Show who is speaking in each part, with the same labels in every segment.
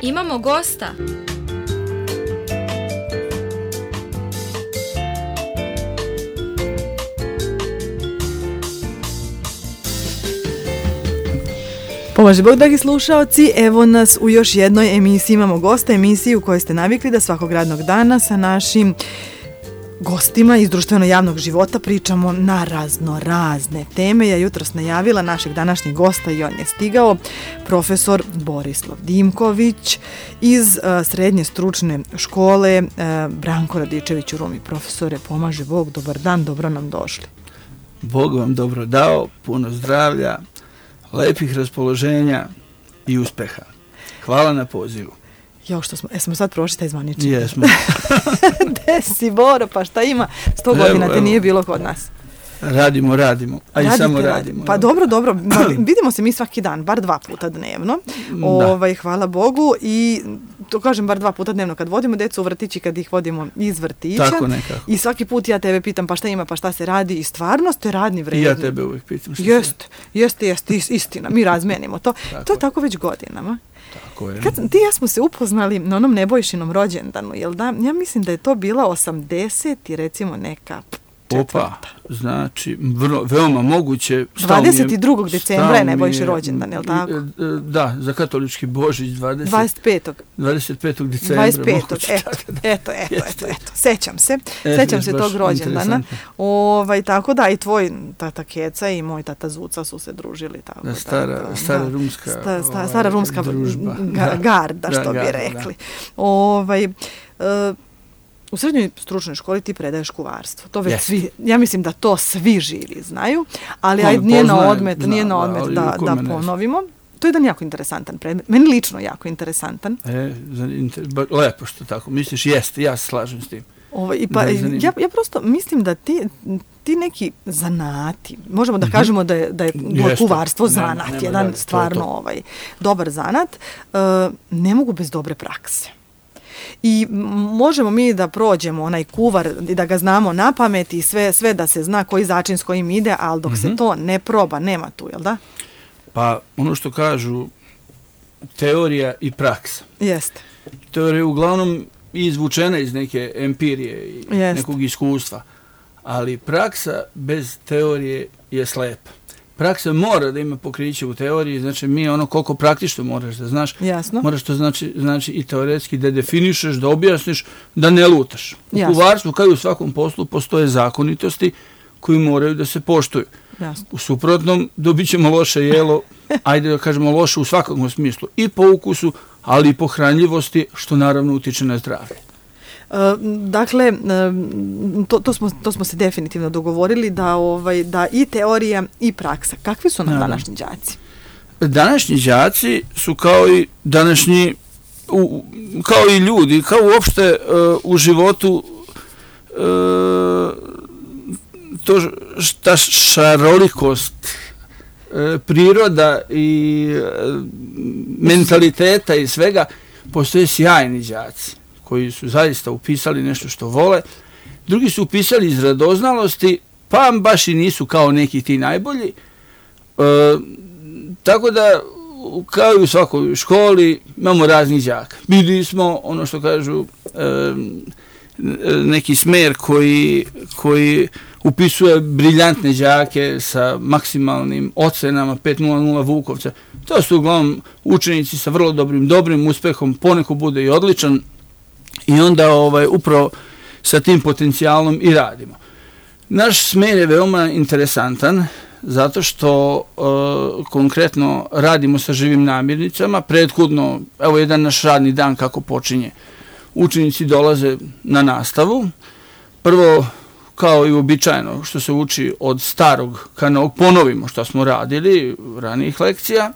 Speaker 1: Imamo gosta.
Speaker 2: Pomaže Bog, dragi slušaoci, evo nas u još jednoj emisiji. Imamo gosta, emisiju u kojoj ste navikli da svakog radnog dana sa našim gostima iz društveno-javnog života pričamo na razne teme. Ja jutros najavila našeg današnjeg gosta i on je stigao, profesor Borislav Dimković iz srednje stručne škole Branko Radičević u Rumi. Profesore, pomaže Bog, dobar dan, dobro nam došli.
Speaker 3: Bog vam dobro dao, puno zdravlja, lepih raspoloženja i uspeha. Hvala na pozivu.
Speaker 2: Jo, što smo sad prošli taj zvanični.
Speaker 3: Jesmo.
Speaker 2: Gde si, Boro, pa šta ima? 100 godina te nije bilo kod nas.
Speaker 3: Radimo, a i samo radimo.
Speaker 2: Pa dobro, vidimo se mi svaki dan, bar 2 puta dnevno. Hvala Bogu, i to kažem bar 2 puta dnevno kad vodimo decu u vrtić i kad ih vodimo iz vrtića.
Speaker 3: Tako nekako.
Speaker 2: I svaki put ja tebe pitam pa šta ima, pa šta se radi, i stvarno ste radni, vredni.
Speaker 3: I ja tebe uvijek pitam šta
Speaker 2: Jeste, istina, mi razmenimo to. To je tako već godinama.
Speaker 3: Tako je.
Speaker 2: Kad ti i ja smo se upoznali na onom Nebojšinom rođendanu, jel da? Ja mislim da je to bila 80 i recimo neka četvrta.
Speaker 3: Znači, veoma moguće.
Speaker 2: 22. decembra je Nebojši rođendan, je li tako?
Speaker 3: Da, za katolički Božić
Speaker 2: 25.
Speaker 3: 25. decembra.
Speaker 2: 25. Eto. Sećam se tog rođendana. Tako da, i tvoj tata Keca i moj tata Zuca su se družili. Tako,
Speaker 3: stara rumska
Speaker 2: družba. Garda, što bi rekli. U srednjoj stručnoj školi ti predaješ kuvarstvo. To već svi, ja mislim da to svi živi znaju, ali nije na odmet da ponovimo. To je jedan jako interesantan predmet. Meni lično jako interesantan.
Speaker 3: Lepo što tako misliš, jeste, ja se slažem s tim.
Speaker 2: Ja prosto mislim da ti neki zanati, možemo da kažemo da je kuvarstvo zanat, jedan stvarno dobar zanat, ne mogu bez dobre prakse. I možemo mi da prođemo onaj kuvar i da ga znamo na pamet i sve da se zna koji začin s kojim ide, ali dok se to ne proba, nema tu, jel da?
Speaker 3: Pa ono što kažu, teorija i praksa.
Speaker 2: Jeste.
Speaker 3: Teorija je uglavnom izvučena iz neke empirije i nekog iskustva, ali praksa bez teorije je slepa. Praksa mora da ima pokriće u teoriji, znači mi koliko praktično moraš da znaš, moraš to znači i teoretski da definišeš, da objasniš, da ne lutaš. U kuvarstvu, kao i u svakom poslu, postoje zakonitosti koji moraju da se poštuju. U suprotnom, dobit ćemo loše jelo, ajde da kažemo loše u svakom smislu, i po ukusu, ali i po hranljivosti, što naravno utiče na zdravlje.
Speaker 2: Dakle, to smo se definitivno dogovorili da i teorija i praksa. Kakvi su nam današnji đaci?
Speaker 3: Današnji đaci su kao i današnji, kao i ljudi, kao uopšte u životu, ta šarolikost priroda i mentaliteta i svega, postoje sjajni đaci koji su zaista upisali nešto što vole, drugi su upisali iz radoznalosti, pa baš i nisu kao neki ti najbolji. Tako da, kao i u svakoj školi, imamo raznih đaka. Bili smo, ono što kažu, neki smer koji upisuje briljantne đake sa maksimalnim ocenama 5.00 Vukovca. To su uglavnom učenici sa vrlo dobrim uspehom, poneko bude i odličan, i onda upravo sa tim potencijalom i radimo. Naš smer je veoma interesantan zato što konkretno radimo sa živim namirnicama. Prethodno, evo jedan naš radni dan kako počinje. Učenici dolaze na nastavu. Prvo, kao i uobičajeno što se uči od starog ka novog, ponovimo što smo radili ranijih lekcija.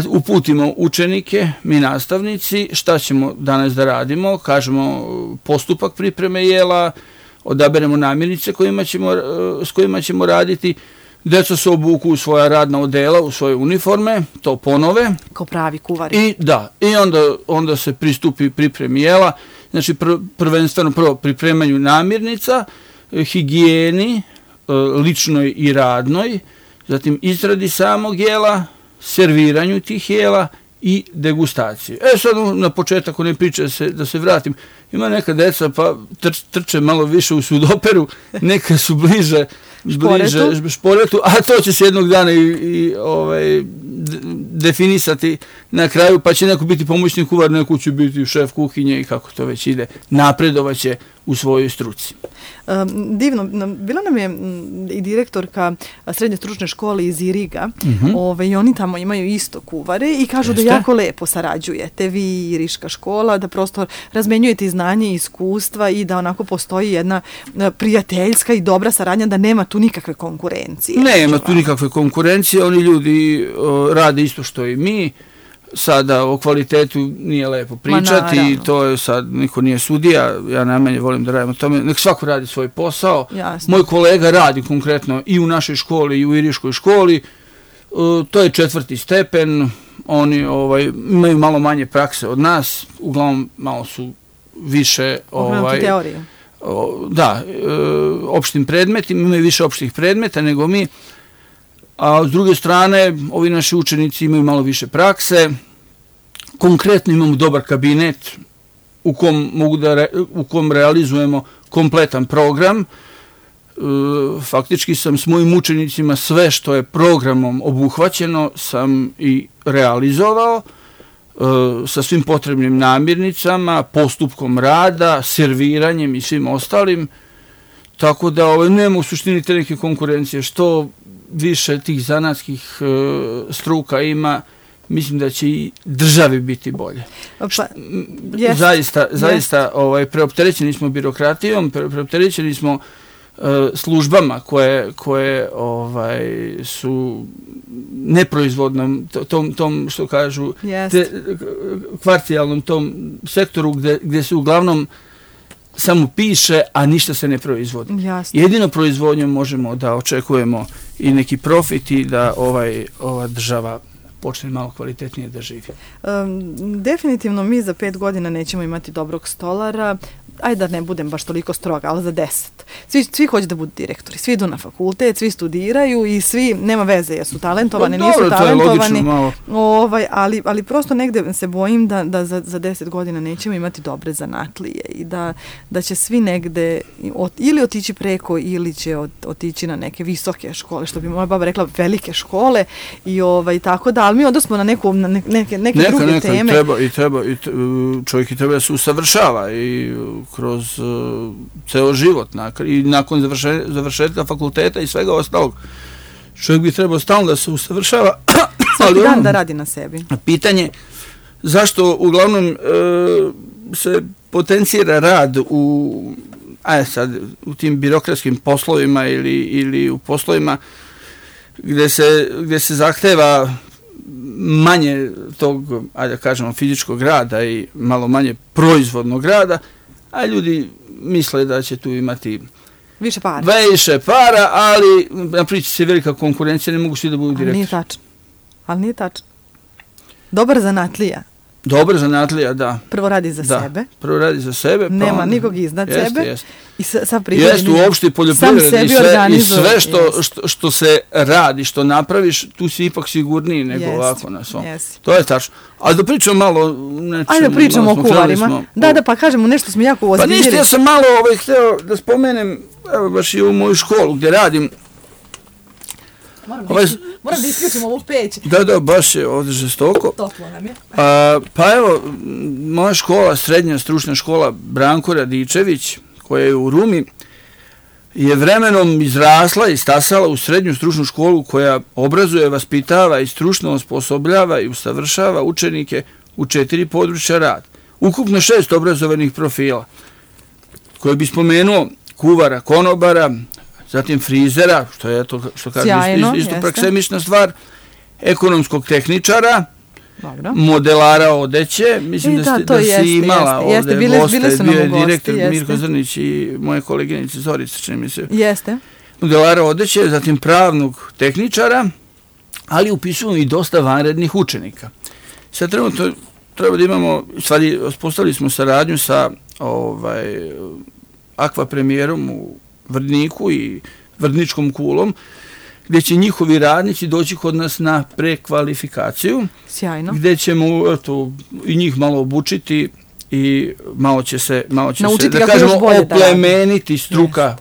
Speaker 3: Uputimo učenike, mi nastavnici, šta ćemo danas da radimo, kažemo postupak pripreme jela, odaberemo namirnice s kojima ćemo raditi, deca se obuku u svoja radna odela, u svoje uniforme, to ponove.
Speaker 2: Kao pravi kuvari.
Speaker 3: I onda se pristupi pripremi jela, znači prvenstveno prvo pripremanju namirnica, higijeni, ličnoj i radnoj, zatim izradi samog jela, serviranju tih jela i degustaciju. Sad na početak one priče da se vratim. Ima neka deca pa trče malo više u sudoperu, neka su bliže šporetu, a to će se jednog dana i definisati na kraju, pa će neko biti pomoćni kuvar, neko će biti šef kuhinje i kako to već ide. Napredovaće u svojoj struci.
Speaker 2: Divno. Bila nam je i direktorka srednje stručne škole iz Iriga, i oni tamo imaju isto kuvare i kažu da jako lepo sarađujete vi i Iriška škola, da prosto razmenjujete znanje i iskustva i da onako postoji jedna prijateljska i dobra saradnja, da nema tu nikakve konkurencije.
Speaker 3: Nema tu nikakve konkurencije, oni ljudi rade isto što i mi. Sada o kvalitetu nije lepo pričati, to je sad, niko nije sudija, ja najmanje volim da radim o tome, nek svako radi svoj posao.
Speaker 2: Jasno.
Speaker 3: Moj kolega radi konkretno i u našoj školi i u Iriškoj školi, to je 4. stepen, oni imaju malo manje prakse od nas, uglavnom malo su više
Speaker 2: teoriju.
Speaker 3: Opštim predmetima, imaju više opštih predmeta nego mi, a s druge strane, ovi naši učenici imaju malo više prakse. Konkretno imamo dobar kabinet u kom realizujemo kompletan program. Faktički sam s mojim učenicima sve što je programom obuhvaćeno sam i realizovao sa svim potrebnim namirnicama, postupkom rada, serviranjem i svim ostalim. Tako da nema u suštini te neke konkurencije. Što više tih zanatskih struka ima, mislim da će i državi biti bolje. Zaista preopterećeni smo birokratijom, preopterećeni smo službama koje su neproizvodnom, tom što kažu, kvarcijalnom tom sektoru gdje se uglavnom samo piše, a ništa se ne proizvodi.
Speaker 2: Jasne.
Speaker 3: Jedino proizvodnjom možemo da očekujemo i neki profit i da ova država počne malo kvalitetnije da živi.
Speaker 2: Definitivno mi za 5 godina nećemo imati dobrog stolara, ajde da ne budem baš toliko stroga, ali za 10. Svi hoće da budu direktori, svi idu na fakultet, svi studiraju i svi, nema veze, jesu talentovani, nisu talentovani, ali prosto negde se bojim da za 10 godina nećemo imati dobre zanatlije i da će svi negde ili otići preko ili će otići na neke visoke škole, što bi moja baba rekla velike škole i tako da, ali mi odnosno na neke druge teme.
Speaker 3: Čovjek treba da se usavršava i kroz ceo život i nakon završetka fakulteta i svega ostalog. Čovjek bi trebao stalno da se usavršava.
Speaker 2: Svaki dan da radi na sebi.
Speaker 3: Pitanje zašto uglavnom se potencira rad u tim birokratskim poslovima ili u poslovima gdje se zahteva manje tog, ajde da kažemo, fizičkog rada i malo manje proizvodnog rada, a ljudi misle da će tu imati
Speaker 2: više
Speaker 3: para, ali napriči se velika konkurencija, ne mogu svi da budu direktori.
Speaker 2: Ali nije tačno. Dobar zanatlija.
Speaker 3: Dobar zanatlija, da.
Speaker 2: Prvo radi za sebe.
Speaker 3: Prvo radi za sebe.
Speaker 2: Nema nikog iznad sebe.
Speaker 3: Jeste.
Speaker 2: I sad prihodi.
Speaker 3: Jeste, uopšte poljoprivredi i sve što se radi, što napraviš, tu si ipak sigurniji nego ovako na svom. To je tačno. Ali da pričamo malo nečemu.
Speaker 2: Ajde da pričamo o kuvarima. Da, pa kažemo nešto smo jako ozbiljili.
Speaker 3: Pa ništa, ja sam malo hteo da spomenem, evo baš i u moju školu gdje radim.
Speaker 2: Moram da isključim ovu peć.
Speaker 3: Da, baš je ovdje žestoko.
Speaker 2: Toplo nam je.
Speaker 3: Pa evo, moja škola, srednja stručna škola Branko Radičević, koja je u Rumi, je vremenom izrasla i stasala u srednju stručnu školu koja obrazuje, vaspitava i stručno osposobljava i usavršava učenike u 4 područja rada. Ukupno 6 obrazovanih profila, koje bi spomenuo kuvara, konobara, zatim frizera, što je to, što kažu, isto praksemična stvar, ekonomskog tehničara, modelara odeće, mislim da si imala ovdje goste, bio je direktor Mirko Zrnić i moje koleginice Zorica, čini mi se.
Speaker 2: Jeste.
Speaker 3: Modelara odeće, zatim pravnog tehničara, ali upisujemo i dosta vanrednih učenika. Sad trenutno treba da imamo, stvari, uspostavili smo saradnju sa Akva premijerom u Vrdniku i Vrdničkom kulom, gdje će njihovi radnici doći kod nas na prekvalifikaciju.
Speaker 2: Sjajno.
Speaker 3: Gdje ćemo i njih malo obučiti i malo će se da kažemo oplemeniti struka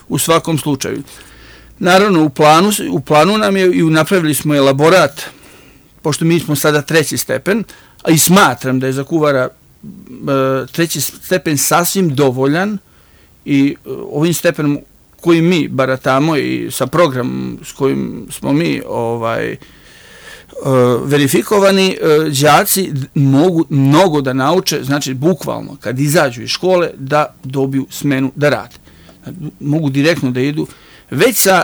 Speaker 3: u svakom slučaju. Naravno, u planu nam je i napravili smo elaborat, pošto mi smo sada 3. stepen, a i smatram da je za kuvara 3. stepen sasvim dovoljan i ovim stepenom kojim mi baratamo i sa programom s kojim smo mi verifikovani, đaci mogu mnogo da nauče, znači bukvalno kad izađu iz škole da dobiju smenu da rade. Mogu direktno da idu već sa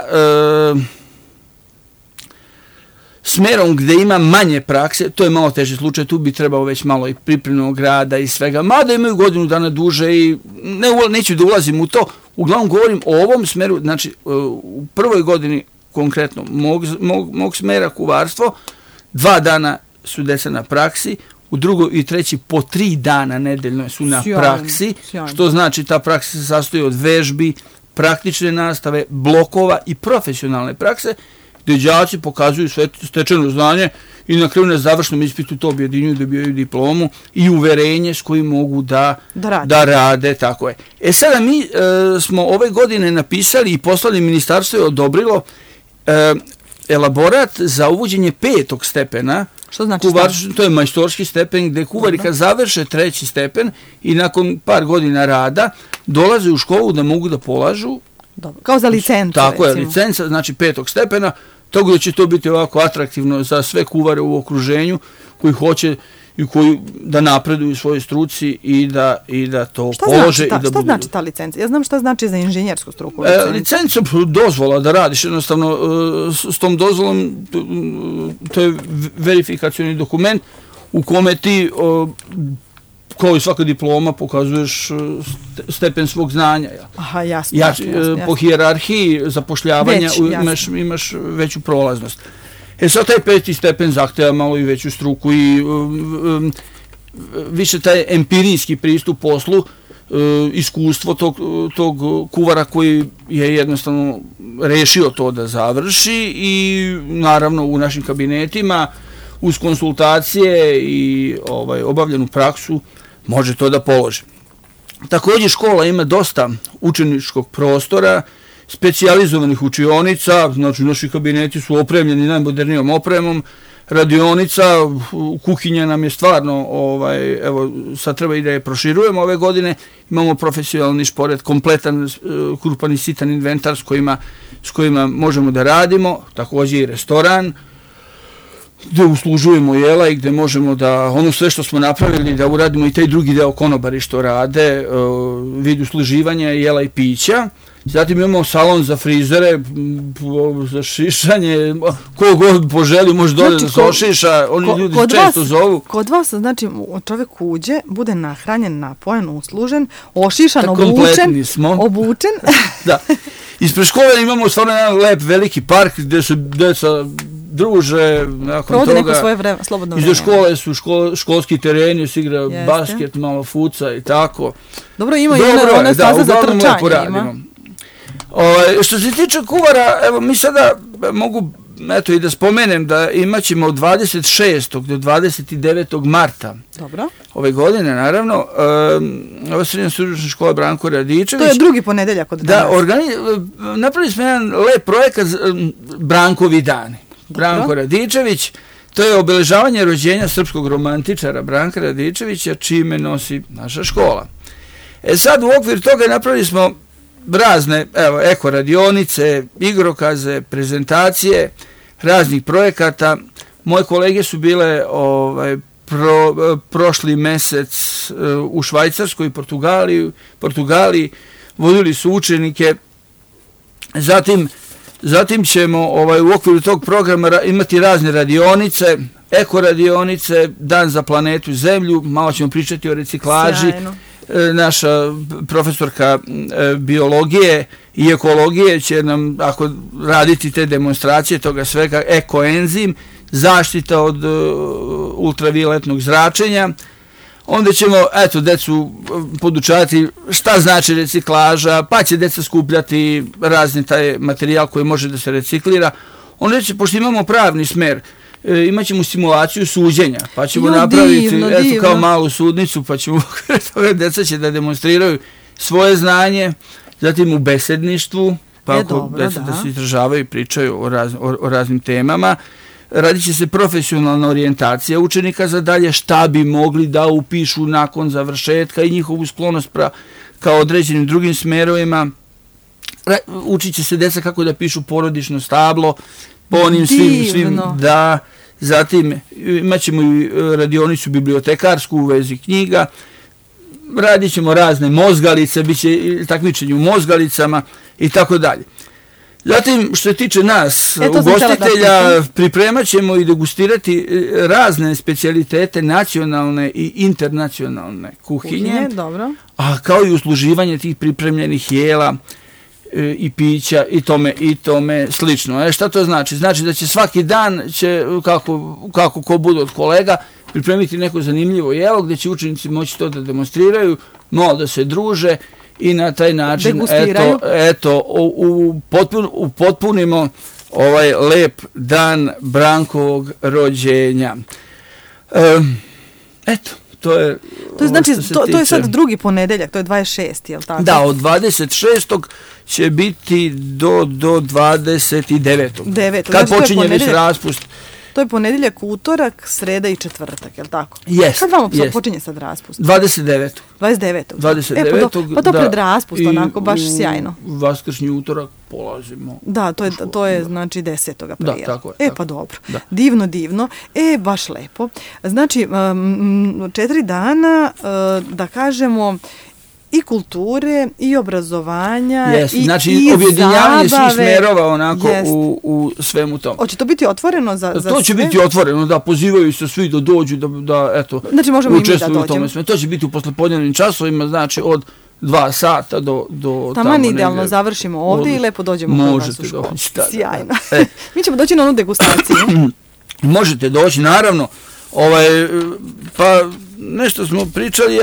Speaker 3: smerom gde ima manje prakse, to je malo teži slučaj, tu bi trebao već malo i pripremnog rada i svega, mada imaju godinu dana duže i neću da ulazim u to, uglavnom govorim o ovom smeru, znači u prvoj godini konkretno mog smera kuvarstvo, 2 dana su deca na praksi, u drugoj i treći po 3 dana nedeljno su na praksi, što znači ta praksa se sastoji od vežbi, praktične nastave, blokova i profesionalne prakse, gdje đaci pokazuju sve stečeno znanje i na kraju na završnom ispitu to objedinjuju, dobijaju diplomu i uverenje s kojim mogu da rade, tako je. Sada mi smo ove godine napisali i poslali, ministarstvo je odobrilo elaborat za uvođenje 5. stepena.
Speaker 2: Što znači
Speaker 3: to je majstorski stepen gdje kuvari kad završe 3. stepen i nakon par godina rada dolaze u školu da mogu da polažu.
Speaker 2: Dobro. Kao za licencu.
Speaker 3: Tako je, licenca, znači 5. stepena, tako da će to biti ovako atraktivno za sve kuvare u okruženju koji hoće i koji da napreduju u svojoj struci i da to polože.
Speaker 2: Šta znači ta licenca? Ja znam šta znači za inženjersku struku.
Speaker 3: Licenca dozvola da radiš, jednostavno s tom dozvolom, to je verifikacioni dokument u kome ti kao i svaka diploma pokazuješ stepen svog znanja.
Speaker 2: Aha, jasno.
Speaker 3: Po hijerarhiji zapošljavanja imaš veću prolaznost. Sad taj 5. stepen zahteva malo i veću struku i više taj empirijski pristup poslu, iskustvo tog kuvara koji je jednostavno rešio to da završi i naravno u našim kabinetima uz konsultacije i obavljenu praksu može to da položi. Također škola ima dosta učeničkog prostora, specijalizovanih učionica, znači naši kabineti su opremljeni najmodernijom opremom, radionica, kuhinja nam je stvarno, evo sad treba i da je proširujemo ove godine, imamo profesionalni šporet, kompletan krupan i sitan inventar s kojima možemo da radimo, također i restoran, gdje uslužujemo jela i gdje možemo da ono sve što smo napravili da uradimo i taj drugi deo konobari što rade, vid usluživanja jela i pića. Zatim imamo salon za frizere, za šišanje, ko god poželi može dođe da se ošiša, oni ljudi često zovu.
Speaker 2: Kod vas, znači, čovjek uđe, bude nahranjen, napojen, uslužen, ošišan, obučen.
Speaker 3: Da. Ispred škole imamo stvarno jedan lep veliki park gdje se deca druže, nakon toga.
Speaker 2: Neko svoje slobodno vreme.
Speaker 3: Iza škole su školski tereni, se igra basket, malo fuca i tako.
Speaker 2: Dobro, ima i ona staza za trčanje.
Speaker 3: Što se tiče kuvara, evo mi sada mogu i da spomenem da imaćemo od 26. do 29. marta ove godine, naravno, ova srednja stručna škola Branko Radičević.
Speaker 2: To je drugi ponedeljak od danas.
Speaker 3: Napravili smo jedan lep projekat Brankovi dani. Branko Radičević, to je obeležavanje rođenja srpskog romantičara Branka Radičevića, čime nosi naša škola. Sad u okviru toga napravili smo razne, eko radionice, igrokaze, prezentacije, raznih projekata. Moje kolege su bile prošli mesec u Švajcarskoj i Portugaliji, vodili su učenike. Zatim ćemo u okviru tog programa imati razne radionice, eko radionice, dan za planetu Zemlju, malo ćemo pričati o reciklaži. Sjajno. Naša profesorka biologije i ekologije će nam raditi te demonstracije toga svega, ekoenzim, zaštita od ultravioletnog zračenja. Onda ćemo, eto, decu podučavati šta znači reciklaža, pa će deca skupljati razni taj materijal koji može da se reciklira. Onda će, pošto imamo pravni smer, imat ćemo simulaciju suđenja, pa ćemo napraviti eto, kao malu sudnicu, pa ćemo, deca će da demonstriraju svoje znanje, zatim u besedništvu, pa ako deca da se izražavaju i pričaju o raznim temama. Radit će se profesionalna orijentacija učenika za dalje, šta bi mogli da upišu nakon završetka i njihovu sklonost kao određenim drugim smerovima. Učit će se deca kako da pišu porodično stablo, po onim svim da. Zatim imat ćemo i radionicu bibliotekarsku u vezi knjiga, radit ćemo razne mozgalice, bit će takmičenje u mozgalicama i tako dalje. Zatim, što se tiče nas, ugostitelja, pripremat ćemo i degustirati razne specijalitete nacionalne i internacionalne kuhinje, a kao i usluživanje tih pripremljenih jela i pića i tome slično. Šta to znači? Znači da će svaki dan, kako ko bude od kolega, pripremiti neko zanimljivo jelo gdje će učenici moći to da demonstriraju, malo da se druže i na taj način upotpunimo ovaj lep dan Brankovog rođenja. Eto, to je
Speaker 2: znači, to je sad drugi ponedeljak, to je 26. jel tako?
Speaker 3: Da, od 26. će biti do 29. Kad počinje već raspust.
Speaker 2: To je ponedeljak, utorak, sreda i četvrtak, je li tako?
Speaker 3: Jest.
Speaker 2: Kad vam počinje sad raspust?
Speaker 3: 29.
Speaker 2: 29. Pa to pred raspust, onako, baš sjajno.
Speaker 3: I vaskršnji utorak polazimo.
Speaker 2: Da, to je znači 10. aprila.
Speaker 3: Da, tako je.
Speaker 2: Pa dobro. Da. Divno. Baš lepo. Znači, 4 dana, da kažemo, i kulture, i obrazovanja,
Speaker 3: znači objedinjavanje svih smerova onako u svemu tomu.
Speaker 2: Hoće to biti otvoreno za sve?
Speaker 3: To će biti otvoreno, da pozivaju se svi da dođu, da eto,
Speaker 2: znači možemo i mi da dođemo.
Speaker 3: To će biti u poslepodnevnim časovima, znači od 2 sata do
Speaker 2: taman idealno završimo ovdje i lepo dođemo kod vas u školu. Sjajno. Mi ćemo doći na onu degustaciju.
Speaker 3: Možete doći, naravno. Pa nešto smo pričali,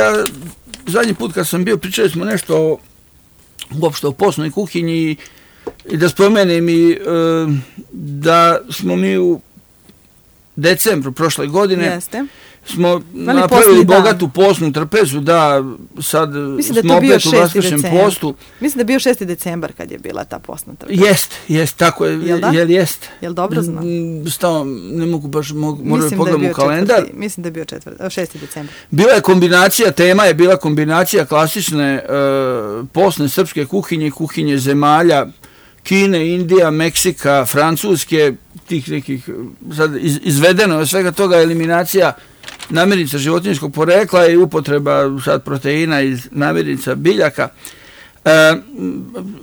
Speaker 3: zadnji put kad sam bio, pričali smo nešto uopšte o postnoj kuhinji i da spomenem i da smo mi u decembru prošle godine smo napravili bogatu postnu trpezu, da sad smo opet u vaskršnjem postu.
Speaker 2: Mislim da je bio 6. decembar kad je bila ta postna trpeza.
Speaker 3: Jest, tako je. Jest.
Speaker 2: Jel dobro znam?
Speaker 3: Ne mogu baš, moram pogledati u kalendar.
Speaker 2: Mislim da je bio 6. decembar.
Speaker 3: Bila je kombinacija, tema je bila kombinacija klasične postne srpske kuhinje, kuhinje zemalja Kine, Indija, Meksika, Francuske, tih nekih, sad izvedeno je svega toga eliminacija namirnica životinjskog porekla i upotreba sad proteina iz namirnica biljaka.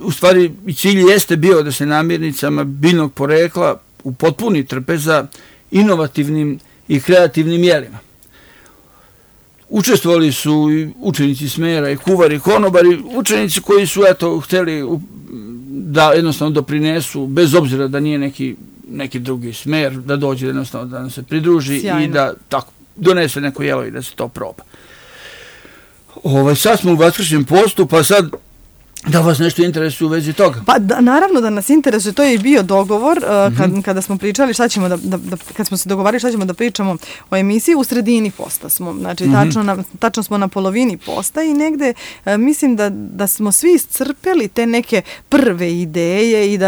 Speaker 3: U stvari, cilj jeste bio da se namirnicama biljnog porekla upotpuni trpeza inovativnim i kreativnim jelima. Učestvovali su i učenici smera i kuvari, konobari, učenici koji su htjeli da jednostavno doprinesu, bez obzira da nije neki drugi smer, da dođe jednostavno da nam se pridruži. Sjajno. I da tako donese neko jelo i da se to proba. Sad smo u vaskršnjem postu, pa sad da vas nešto interesuje u vezi toga.
Speaker 2: Pa naravno da nas interesuje, to je i bio dogovor kada smo pričali šta ćemo kad smo se dogovarali šta ćemo da pričamo o emisiji, u sredini posta smo, znači tačno smo na polovini posta i negde mislim da smo svi iscrpeli te neke prve ideje i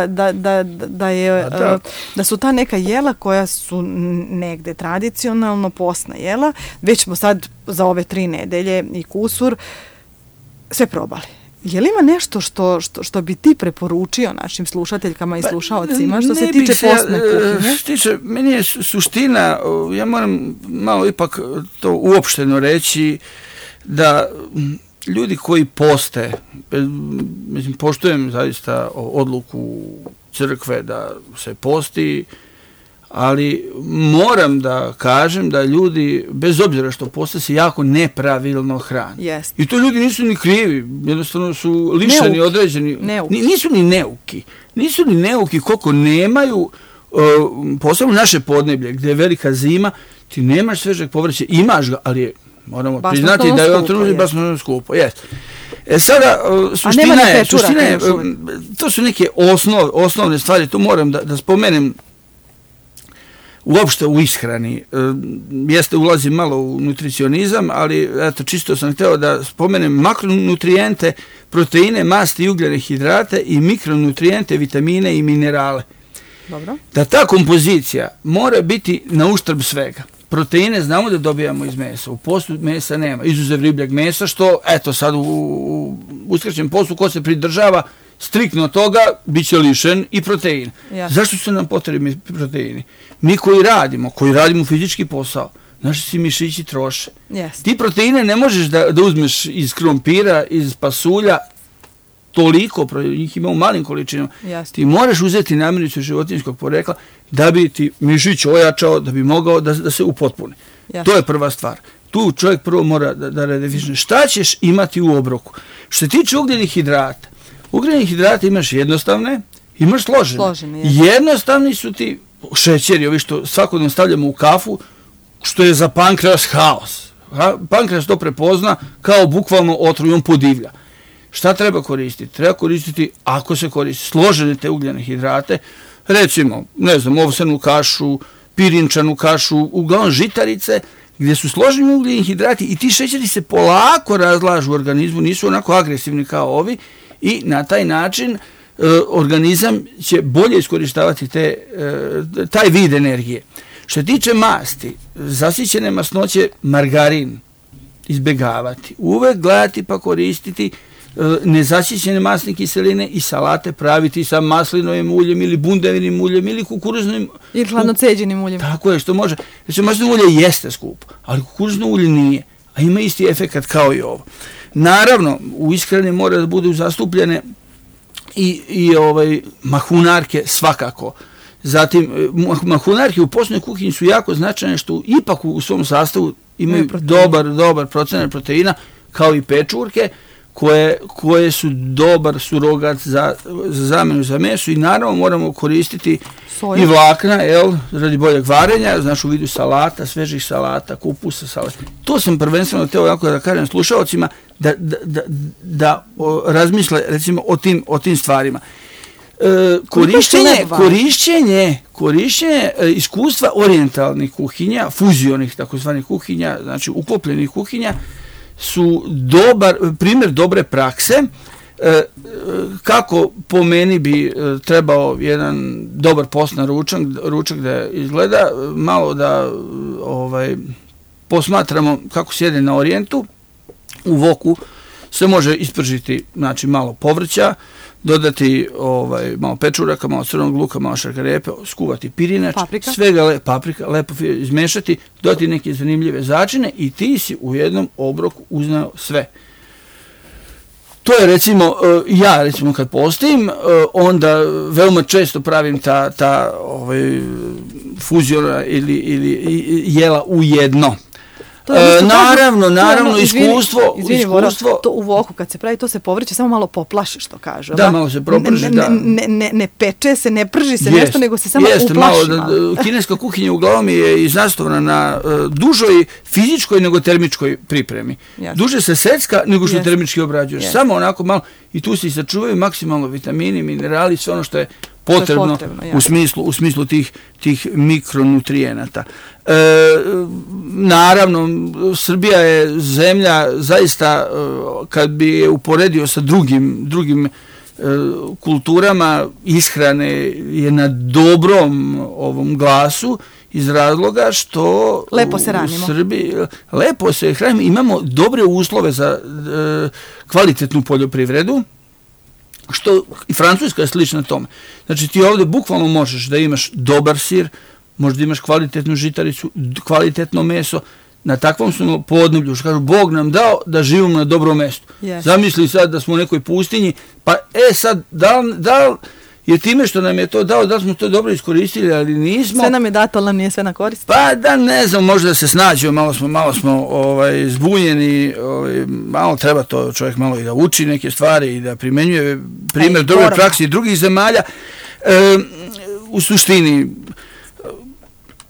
Speaker 2: da su ta neka jela koja su negde tradicionalno postna jela, već smo sad za ove 3 nedelje i kusur sve probali. Je li ima nešto što bi ti preporučio našim slušateljkama i slušaocima što se tiče postne kuhinje?
Speaker 3: Meni je suština, ja moram malo ipak to uopšteno reći, da ljudi koji poste, mislim, poštujem zaista odluku crkve da se posti, ali moram da kažem da ljudi, bez obzira što poste, se jako nepravilno hrane.
Speaker 2: Yes.
Speaker 3: I to ljudi nisu ni krivi, jednostavno su lišeni određeni. Nisu ni neuki koliko nemaju, posebno naše podneblje, gdje je velika zima, ti nemaš svežeg povrća, imaš ga, ali je Moramo priznati da je on trenutno basno skupo. Jest. Sada, suština je, to su neke osnovne stvari, to moram da spomenem uopšte u ishrani. Jeste, ulazim malo u nutricionizam, ali eto, čisto sam hteo da spomenem makronutrijente, proteine, masti i ugljene hidrate i mikronutrijente, vitamine i minerale.
Speaker 2: Dobro. Da
Speaker 3: ta kompozicija mora biti na uštrb svega. Proteine znamo da dobijamo iz mesa, u postu mesa nema, izuzev ribljeg mesa, što, eto, sad u uskraćenom postu, ko se pridržava striktno toga, bit će lišen i protein. Zašto su nam potrebni proteini? Mi koji radimo fizički posao, naši si mišići troše. Ti proteine ne možeš da uzmeš iz krompira, iz pasulja, toliko, njih ima u malim količinama. Ti moraš uzeti namirnicu životinjskog porekla da bi ti mišić ojačao, da bi mogao da se upotpuni. To je prva stvar. Tu čovjek prvo mora da redefiniše šta ćeš imati u obroku. Što se tiče ugljenih hidrata, ugljenih hidrata imaš jednostavne, imaš složene. Jednostavni su ti šećeri, ovi što svakodnevno stavljamo u kafu, što je za pankreas haos. Pankreas to prepozna kao bukvalno otrov, on podivlja. Šta treba koristiti? Treba koristiti, ako se koristi, složene te ugljene hidrate, recimo, ne znam, ovsenu kašu, pirinčanu kašu, uglavnom žitarice, gdje su složeni ugljeni hidrati i ti šećeri se polako razlažu u organizmu, nisu onako agresivni kao ovi i na taj način organizam će bolje iskorištavati taj vid energije. Što se tiče masti, zasićene masnoće, margarin izbjegavati. Uvek gledati pa koristiti nezasićene masne kiseline i salate praviti sa maslinovim uljem ili bundevinim uljem ili kukuruznim
Speaker 2: ili hladnoceđenim uljem.
Speaker 3: Tako je, što može. Znači, maslinovo ulje jeste skupo, ali kukuruzno ulje nije, a ima isti efekat kao i ovo. Naravno, u ishrani mora da budu zastupljene i mahunarke svakako. Zatim, mahunarke u postnoj kuhinji su jako značajne što ipak u svom sastavu imaju dobar procenat proteina, kao i pečurke, koje su dobar surogat za zamenu za meso i naravno moramo koristiti i vlakna, radi boljeg varenja, znači u vidu salata, svežih salata, kupusa, salata. To sam prvenstveno teo jako da kažem slušalcima da razmisle recimo o tim stvarima. Korišćenje iskustva orijentalnih kuhinja, fuzionih takozvanih kuhinja, znači uklopljenih kuhinja, su primjer dobre prakse kako po meni bi trebao jedan dobar postni ručak da izgleda, malo da posmatramo kako sjede na orijentu. U voku se može ispržiti, znači malo povrća, dodati malo pečuraka, malo crvenog luka, malo šargarepe, skuvati pirinač, paprika, lepo izmešati, dodati neke zanimljive začine i ti si u jednom obroku uznao sve. To je recimo, ja kad postim, onda veoma često pravim ta fuziona ili jela u jedno. Naravno, iskustvo.
Speaker 2: To u voku kad se pravi, to se povrće, samo malo poplaši, što kažu.
Speaker 3: Da, malo se proprži, da.
Speaker 2: Ne peče se, ne prži se nešto, nego se samo uplaši malo.
Speaker 3: Kineska kuhinja uglavnom je iznastovana na dužoj fizičkoj nego termičkoj pripremi. Duže se secka nego što termički obrađuješ. Samo onako malo i tu se sačuvaju maksimalno vitamini, minerali, sve ono što je potrebno u smislu tih mikronutrijenata. Naravno, Srbija je zemlja zaista, kad bi je uporedio sa drugim kulturama, ishrane je na dobrom ovom glasu iz razloga što
Speaker 2: lepo se ranimo.
Speaker 3: U Srbiji lepo se hranimo, imamo dobre uslove za kvalitetnu poljoprivredu, što i Francuska je slična tome. Znači ti ovdje bukvalno možeš da imaš dobar sir, možda imaš kvalitetnu žitaricu, kvalitetno meso, na takvom smo podneblju, što kažu, Bog nam dao da živimo na dobrom mestu. Zamisli sad da smo u nekoj pustinji, pa sad, da li je time što nam je to dao, da li smo to dobro iskoristili, ali nismo.
Speaker 2: Sve nam je dato, ali nam nije sve na korist.
Speaker 3: Pa da, ne znam, možda da se snađemo, malo smo zbunjeni, malo treba to čovjek malo i da uči neke stvari i da primenjuje primjer dobre praksi drugih zemalja. U suštini,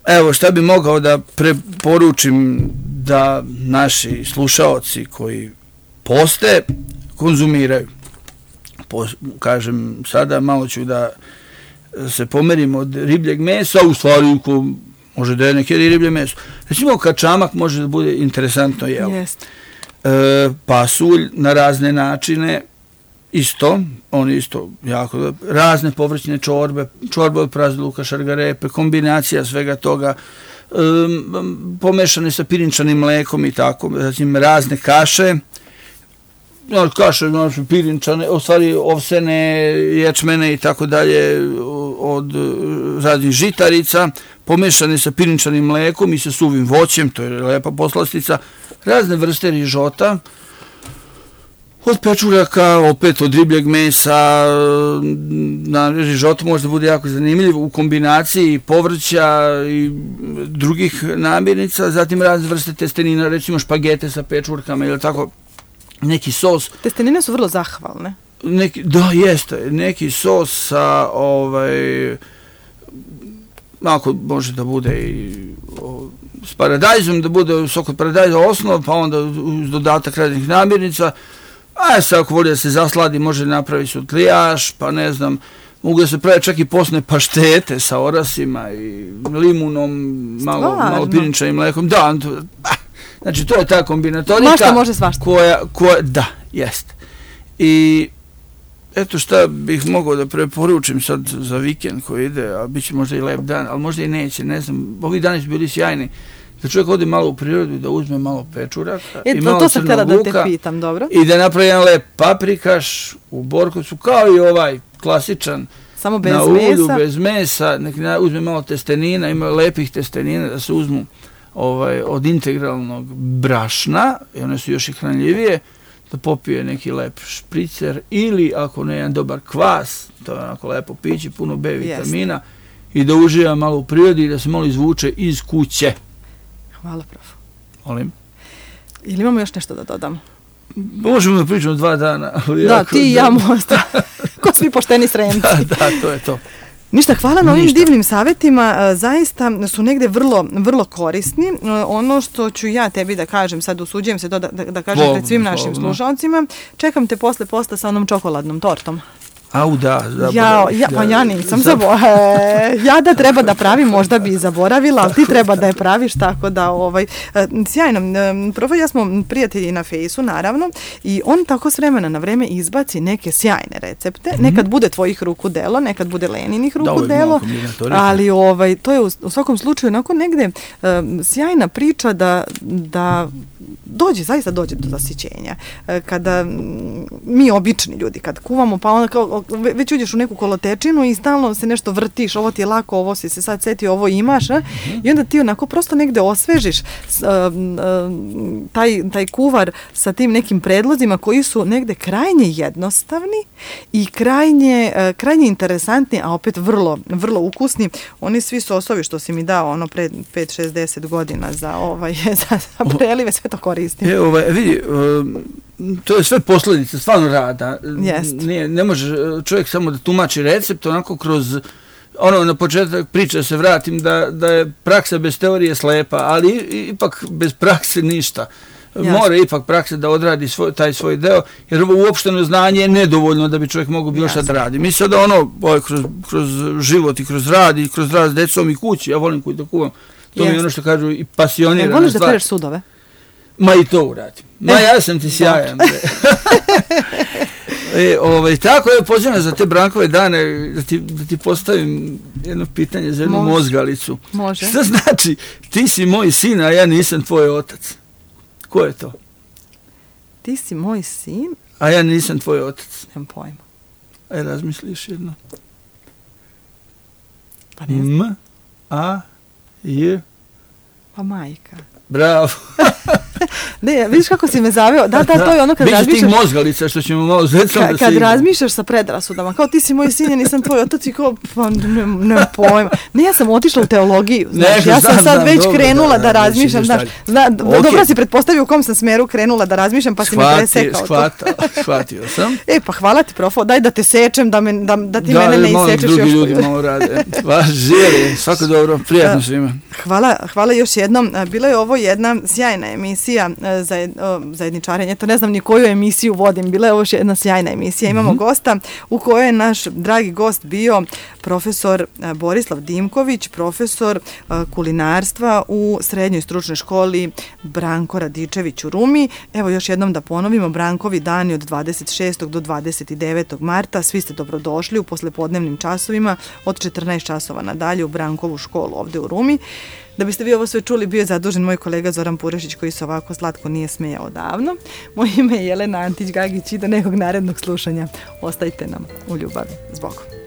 Speaker 3: evo šta bi mogao da preporučim da naši slušaoci koji poste konzumiraju. Kažem, sada malo ću da se pomerim od ribljeg mesa, u stvari ko može da je neki riblje meso. Recimo kačamak može da bude interesantno jelo. Pasulj na razne načine, isto, on isto jako, razne povrćne čorbe od prazluka, šargarepe, kombinacija svega toga, pomešane sa pirinčanim mlekom i tako, zatim razne kaše, pirinčane, u stvari ovsene, ječmene i tako dalje od raznih žitarica, pomešane sa pirinčanim mlekom i sa suvim voćem, to je lepa poslastica, razne vrste rižota, od pečuraka, opet od ribljeg mesa, na rižotu može da bude jako zanimljiv u kombinaciji povrća i drugih namirnica, zatim razne vrste testenina, recimo špagete sa pečurkama ili tako, neki sos.
Speaker 2: Testenine su vrlo zahvalne.
Speaker 3: Da, jeste. Neki sos sa ako može da bude i s paradajzom, da bude sok od paradajza osnov, pa onda uz dodatak raznih namirnica. A sad ako voli da se zasladi, može napraviti sutlijaš, pa ne znam, mogu da se pravi čak i posne paštete sa orasima i limunom, malo pirinčanim mlekom. Da, znači to je ta kombinatorika.
Speaker 2: Mašta može svašta.
Speaker 3: Da, jeste. I eto šta bih mogao da preporučim sad za vikend koji ide, a bit će možda i lep dan, ali možda i neće, ne znam, ovi dani su bili sjajni, da čovjek ode malo u prirodu, da uzme malo pečuraka i malo crnog luka i da napravi jedan lep paprikaš u Borkovcu, kao i ovaj klasičan,
Speaker 2: samo bez
Speaker 3: na ulju, bez mesa, uzme malo testenina, ima lepih testenina da se uzmu od integralnog brašna, i one su još i hranljivije, da popije neki lep špricer ili ako ne jedan dobar kvas, to je onako lepo piće, puno B vitamina i da uživa malo u prirodi i da se malo izvuče iz kuće.
Speaker 2: Hvala, prof.
Speaker 3: Molim.
Speaker 2: Ili imamo još nešto da dodamo?
Speaker 3: Možemo da pričamo 2 dana.
Speaker 2: Da, ti i ja možda. Ko svi pošteni sremci.
Speaker 3: Da, to je to.
Speaker 2: Ništa, hvala na ovim divnim savjetima, zaista su negde vrlo, vrlo korisni. Ono što ću ja tebi da kažem, sad usuđujem se to da kažem pred svim našim slušalcima, čekam te posle posta sa onom čokoladnom tortom.
Speaker 3: Au, da,
Speaker 2: pa ja nisam ja da treba da pravim, možda bi i zaboravila, ali ti treba da je praviš, tako da, sjajno. Prof, ja smo prijatelji na Fejsu, naravno, i on tako s vremena na vreme izbaci neke sjajne recepte, nekad bude tvojih ruku delo, nekad bude Leninih ruku delo, ali to je u svakom slučaju onako negde sjajna priča da zaista dođe do zasićenja. Kada mi obični ljudi, kad kuvamo, pa onda kao već uđeš u neku kolotečinu i stalno se nešto vrtiš, ovo ti je lako, ovo si se sad setio, ovo imaš, i onda ti onako prosto negde osvežiš taj kuvar sa tim nekim predlozima koji su negde krajnje jednostavni i krajnje interesantni, a opet vrlo, vrlo ukusni. Oni svi sosovi što si mi dao pre 5-6-10 godina za prelive, sve to koristim.
Speaker 3: Vidi, to je sve posljedice, stvarno rada. Ne može čovjek samo da tumači recept, onako kroz, na početak priče se vratim da je praksa bez teorije slepa, ali ipak bez prakse ništa. Mora ipak praksa da odradi taj svoj deo, jer uopšteno znanje je nedovoljno da bi čovjek mogao bilo šta da radi. Mi sada kroz život i kroz rad i kroz rad s decom i kući, ja volim kući da kuvam, to mi je ono što kažu i pasionirana stvar.
Speaker 2: Voliš da pereš sudove?
Speaker 3: Ma i to uradim. Ja sam ti sjajan. Tako je, pozivam za te Brankove dane da ti postavim jedno pitanje za jednu mozgalicu.
Speaker 2: Može.
Speaker 3: Šta znači, ti si moj sin, a ja nisam tvoj otac? Ko je to?
Speaker 2: Ti si moj sin?
Speaker 3: A ja nisam tvoj otac.
Speaker 2: Nemam pojma.
Speaker 3: Aj, razmisliš jedno.
Speaker 2: Pa ne znam.
Speaker 3: M-A-J.
Speaker 2: Pa majka.
Speaker 3: Bravo.
Speaker 2: Ne, vidiš kako si me zaveo. Da, to je ono kad razmišljaš.
Speaker 3: Biće tih mozgalica što ćemo malo zecati da se
Speaker 2: Kad razmišljaš sa predrasudama, kao ti si moj sin, ja nisam tvoj otac i kao, pa ne pojma. Ne, ja sam otišla u teologiju, znaš, ja sam sad već krenula da razmišljam, znaš, dobro si pretpostavio u kom sam smeru krenula da razmišljam, pa si me presekao.
Speaker 3: Shvatio sam.
Speaker 2: Pa hvala ti, profo, daj da te sečem, da ti mene ne isečeš još.
Speaker 3: Da, drugi ljudi malo rade. Živjeli, svako dobro, prijatno svima.
Speaker 2: Hvala još jednom. Bila je ovo jedna sjajna emisija zajedničarenje. To ne znam ni koju emisiju vodim. Bila je ovo jedna sjajna emisija. Imamo gosta u kojoj je naš dragi gost bio profesor Borislav Dimković, profesor kulinarstva u srednjoj stručnoj školi Branko Radičević u Rumi. Evo još jednom da ponovimo, Brankovi dani od 26. do 29. marta. Svi ste dobrodošli u poslepodnevnim časovima od 14 časova nadalje u Brankovu školu ovde u Rumi. Da biste vi ovo sve čuli, bio je zadužen moj kolega Zoran Purešić, koji se ovako slatko nije smejao davno. Moje ime je Jelena Antić-Gagić i do nekog narednog slušanja. Ostajte nam u ljubavi. S Bogom.